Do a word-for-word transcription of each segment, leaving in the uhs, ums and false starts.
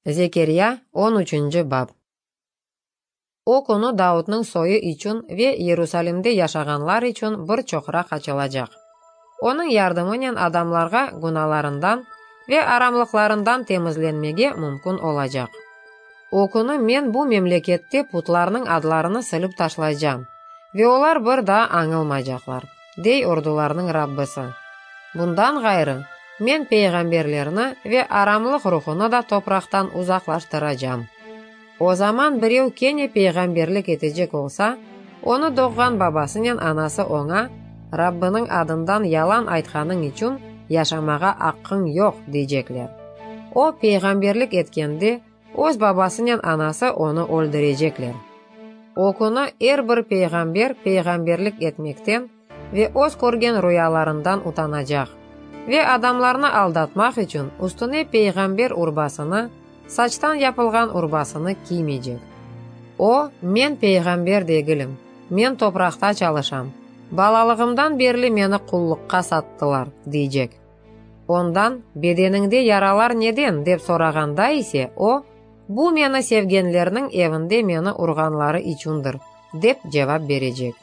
Zekerya, on üçünci bap. O künü Davudnıñ soyu içün ve Yerusalimde yaşağanlar içün bir çoqraq açılacaq. Onıñ yardımınen adamlarğa günalarından ve aramlıqlarından temizlenmege mümkün olacaq. O künü Men bu memlekette putlarnıñ adlarını silip taşlaycam, ve olar bir daa añılmaycaqlar, dey ordularnıñ Rabbisi. Bundan ğayrı, Men peyğamberlerni ve aramlıq ruhunı da topraqtan uzaqlaştıracam. O zaman birev kene peyğamberlik etecek olsa, onı doğğan babasınen anası oña, Rabbiniñ adından yalan aytqanıñ içün yaşamağa aqqıñ yoq, deycekler. O, peyğamberlik etkende, öz babasınen anası onı öldürecekler. O künü er bir peyğamber peyğamberlik etmekten ve öz körgen ruyalarından utanacaq ve adamlarnı aldatmaq içün üstüne peyğamber urbasını, saçtan yapılğan urbasını kiymeycek. O, Men peyğamber degilim, men topraqta çalışam, balalığımdan berli meni qulluqqa sattılar, deycek. Ondan, Bedeniñde yaralar neden, dep sorağanda ise, o, Bu meni sevgenlerniñ evinde meni urğanları içündir, dep cevap berecek.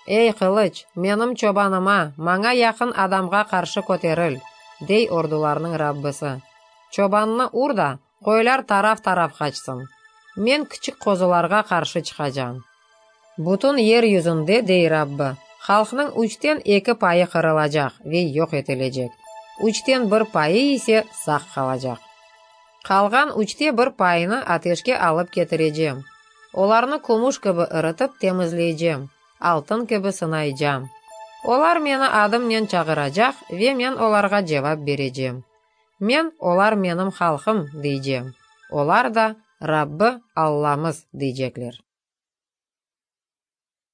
Ey, qılıç, menim çobanıma, maña yaqın adamğa qarşı köteril, dey ordularnıñ Rabbisi. Çobannı ur da, qoylar taraf-taraf qaçsın. Men kiçik qozularğa qarşı çıqacam. Bütün yer yüzünde, dey Rabbi, halqnıñ üçten eki payı qırılacaq ve yoq etilecek, üçten bir payı ise sağ qalacaq. Qalğan üçte bir payını ateşke alıp ketirecem. Olarnı kümüş kibi irıtıp temizleycem, altın kibi sınaycam. Olar meni adımnen çağıracaq ve men olarğa cevap berecem. Men, olar menim halqım, deycem. Olar da, Rabbi, Allamız, deycekler.